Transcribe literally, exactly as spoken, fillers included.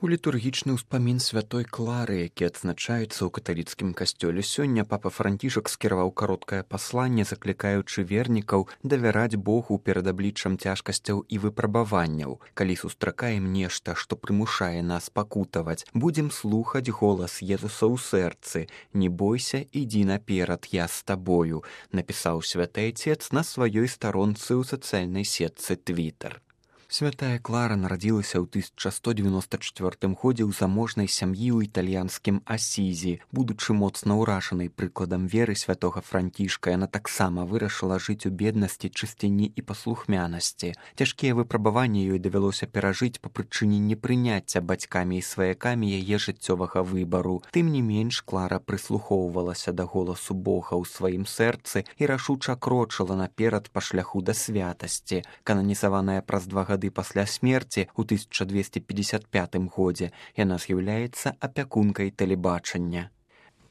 У літургічны ўспамін святой Клары, які адзначаецца ў каталіцкім касцёле сёння, папа Францішак скіраваў кароткае пасланне, заклікаючы вернікаў давяраць Богу перад абліччам цяжкасцяў і выпрабаванняў. Калі сустракаем нешта, што прымушае нас пакутаваць, будзем слухаць голас Езуса ў сэрцы. Не бойся, ідзі наперад, я з табою, напісаў святы Айцец на сваёй старонцы ў сацыяльнай сетцы Твітер. Святая Клара нарадзілася ў тысяча сто дзевяноста чвёртым годзе ў заможнай сям'і ў італьянскім Асізі. Будучы моцна ўражанай прыкладам веры святога Францішка, яна таксама вырашыла жыць у беднасці, чысціні і паслухмянасці. Цяжкія выпрабаванні ёй давялося перажыць па прычыне непрыняцця бацькамі і сваякамі яе жыццёвага выбару. Тым не менш, Клара прыслухоўвалася да голасу Бога ў сваім сэрцы і рашуча крочыла наперад па шляху да святасці. Кананізаваная праз два гады пасля смерці ў тысяча дзвесце пятьдесят пятым годзе, яна з'яўляецца апякункай тэлебачання.